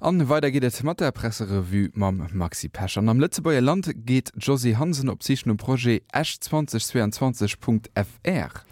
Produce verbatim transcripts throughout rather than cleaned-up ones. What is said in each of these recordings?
An weider geet et mat der Presserevue mam Maxi Pesch. An am Lëtzebuerger Land geet d'Josée Hansen op d'Sich nom Projet Esch zwanzeg zweiundzwanzeg Punkt F R.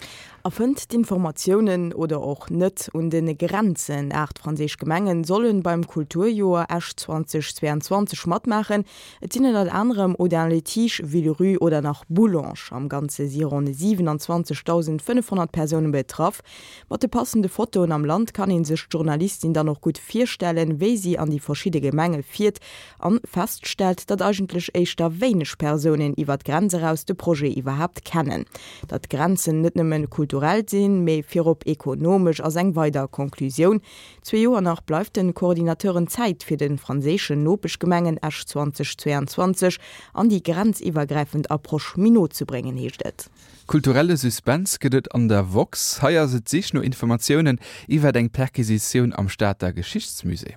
A fënnt d'Informatiounen, oder och net, un de Grenzen. Aacht franséisch Gemengen sollen beim Kulturjoer Esch zwanzeg zweiundzwanzeg matmaachen. Et sinn ënnert anerem Audun-le-Tiche, Villerupt oder nach Boulange. Am Ganze si ronn siewenundzwanzegdausendfënnefhonnert Persounen betraff. Mat de passende Fotoen am Land kann ee sech d'Journalistin dann och gutt virstellen, wéi si an déi verschidde Gemenge fiert an feststellt, datt eigentlech éischter wéineg Persounen iwwer d'Grenz eraus de Projet iwwerhaapt kennen. Datt Grenzen net nëmmen kulturell sinn, mee virop ekonomesch, ass eng weider Konklusioun. Zwee Joer nach bleift de Coordinateuren Zäit, fir de franséischen Nopeschgemengen Esch zwanzeg zweiundzwanzeg an déi grenziwwergräifend Approche méi no ze bréngen, heescht et. Kulturelle Suspens gëtt et an der Woxx. Hei ass et d'Sich no Informatiounen iwwer eng Perquisitioun am Stater Geschichtsmusée.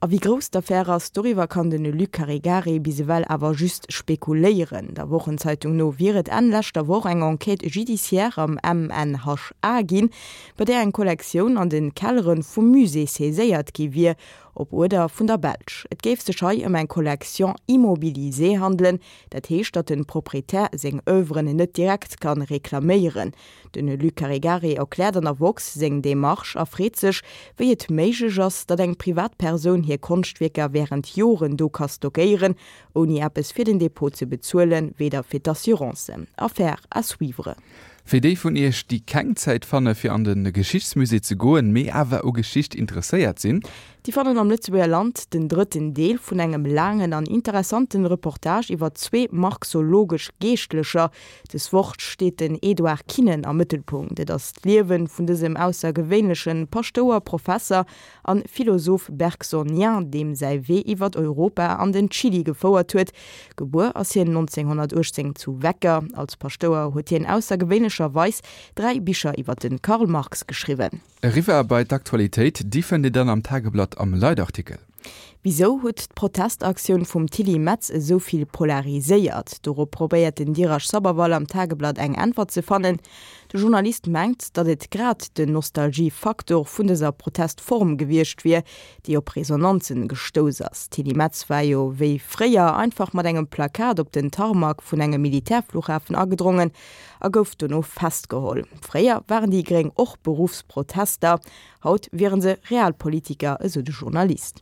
A wéi grouss d'Affär ass, doriwwer kann de Luc Caregari bis ewell awer just spekuléieren. Der Wochenzeitung no wier et Enn leschter Woch eng Enquête judiciaire am M N H A ginn, bei där eng Kollektioun an de Kellere vum Musée saiséiert gi wier, op Uerder vun der Belsch. Et géif sech hei ëm eng Collection immobilisée handelen, dat heescht, datt de Proprietär seng Oeuvren net direkt kann reklaméieren. De Luc Caregari erkläert an der Woxx seng Demarche a freet sech, wéi et méiglech ass, datt eng Privatpersoun hir Konschtwierker wärend Joren do ka stockéieren, ouni eppes fir den Depot ze bezuelen, weder fir d'Assurancen. Affaire à suivre. Fir déi vun iech, déi keng Zäit fanne fir an de Geschichtsmusée ze goen, mee awer u Geschicht interesséiert sinn. Déi fannen am Lëtzebuerger Land den drëtten Deel vun engem laangen an interessante Reportage iwwer zwee marxologesch Geeschtlecher. Dës Woch steet den Edouard Kinnen am Mëttelpunkt. Et ass d'Liewe vun dësem aussergewéinleche Paschtouer, Professer an Philosoph bergsonien, deem säi Wee iwwer Europa an den Chili gefouert huet. Gebuer ass hien nonzénghonnertuechtzéng zu Wecker. Als Paschtouer huet hien aussergewéinlecherweis dräi Bicher iwwer de Karl Marx geschriwwen. Eriwwer bei d'Aktualitéit, déi fënnt Dir dann am Tageblatt am Leitartikel. Wisou huet d'Protestaktioun vum Tilly Metz esou vill polariséiert? Dorop probéiert den Dheeraj Sabharwal am Tageblatt eng Äntwert ze fannen. De Journalist mengt, datt et grad den Nostalgiefaktor vun dëser Protestform gewiescht wier, déi op Resonanzen gestouss ass. D'Tilly Metz war jo wéi fréier einfach mat engem Plakat op den Tarmac vun engem Militärflughafen agedrongen a gouf dono festgeholl. Fréier waren déi Gréng och Beruffsprotester, haut wiere se Realpolitiker, esou de Journalist.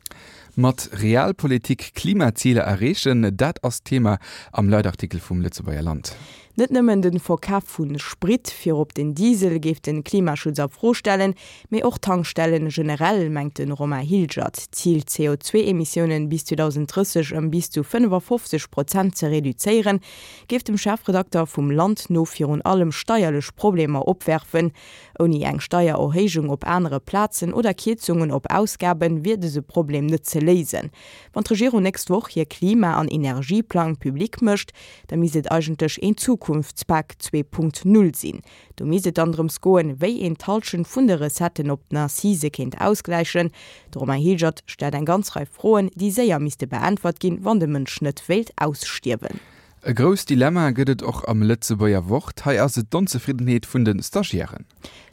Mat Realpolitik Klimaziler erreechen, dat ass d'Thema am Leitartikel vum Lëtzebuerger Land. Net nëmmen de Verkaf vu Sprit, virop den Diesel, géif de Klimaschutz a Fro stellen, mee och Tankstellen generell, mengt de Romain Hilgert. D'Zil C O zwee Emissiounen bis zweedausendtrësseg ëm bis zu fënnefafofzeg Prozent ze reduzéieren, géif dem Chefredakter vum Land no virun allem steierlech Problemer opwerfen. Ouni eng Steiererhéijung op anere Plazen oder Kierzungen op Ausgaben wier dëse Problem net ze léisen. Wann d'Regierung nächst Woch hir Klima an Energieplang public mécht, da misst et eigentlech een Zukunftspak zwee Punkt null sinn. Do misst et dann drëms goen, wéi een d'Hallschent vun de Recetten op den Accise kéint ausgläichen. De Romain Hilgert stellt eng ganz Rei Froen, déi séier misste beäntwert ginn, wann de Mënsch net wéilt ausstierwen. E grousst Dilemma gëtt et och am Lëtzebuerger Wort. Hei ass et d'Onzefriddenheet vun de Stagiairen.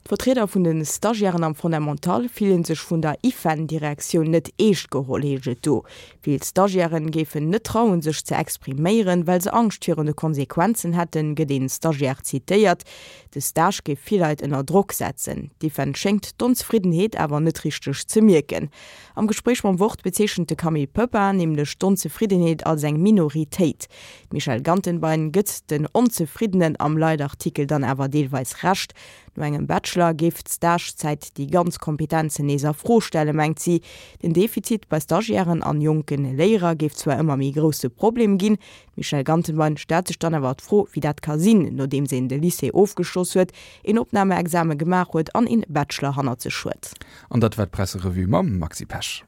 D'Vertrieder vun de Stagiairen am Fondamental fillen sech vun der IFEN-Direktioun net eescht geholl, heescht et do. Vill Stagiairen géifen net trauen, sech ze expriméieren, well se Angscht virun de Konsequenzen hätten, gëtt een Stagiaire zitéiert. De Stage géif vill Leit ënner Drock setzen. D'IFEN schéngt d'Onzefriddenheet awer net richteg ze mierken. Am Gespréich mam Wort bezeechent de Camille Pöpper nämlech d'Onzefriddenheet als eng Minoritéit. D'Michèle Gantenbein gëtt den Onzefriddenen am Leitartikel dann awer deelweis Recht. No engem Bachelor géif d'Stagezäit déi ganz Kompetenzen nees a Fro stellen, mengt si. Den Defizit bei Stagiairen an jonke Léierer géif zwar ëmmer méi grousse Problem ginn. D'Michèle Gantenbein stellt sech dann awer d'Fro, wéi dat ka sinn, nodeems een de Lycée ofgeschloss huet, een Opnameexame gemaach huet an een Bachelor hannert sech huet. An dat war d'Presserevue mam Maxi Pesch.